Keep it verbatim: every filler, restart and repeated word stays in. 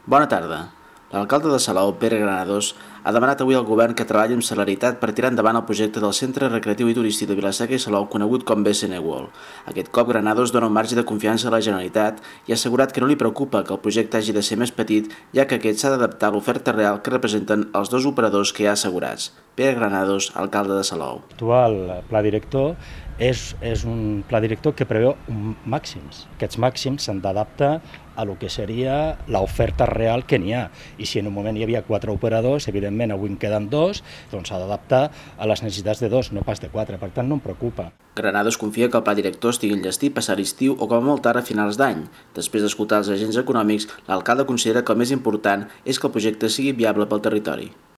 Bona tarda. L'alcalde de Salou, Pere Granados, ha demanat avui al govern que treballi amb celeritat per tirar endavant el projecte del Centre Recreatiu i Turístic de Vila-seca i Salou, conegut com B S N World. Aquest cop, Granados dona un marge de confiança a la Generalitat i ha assegurat que no li preocupa que el projecte hagi de ser més petit, ja que aquest s'ha d'adaptar a l'oferta real que representen els dos operadors que hi ha assegurats. Pere Granados, alcalde de Salou. L'actual pla director és, és un pla director que preveu màxims. Aquests màxims s'han d'adaptar a lo que seria l'oferta real que n'hi ha. I si en un moment hi havia quatre operadors, evidentment avui en queden dos, doncs s'ha d'adaptar a les necessitats de dos, no pas de quatre. Per tant, no em preocupa. Granados confia que el pla director estigui enllestit passar l'estiu o com a molt tard a finals d'any. Després d'escoltar els agents econòmics, l'alcalde considera que el més important és que el projecte sigui viable pel territori.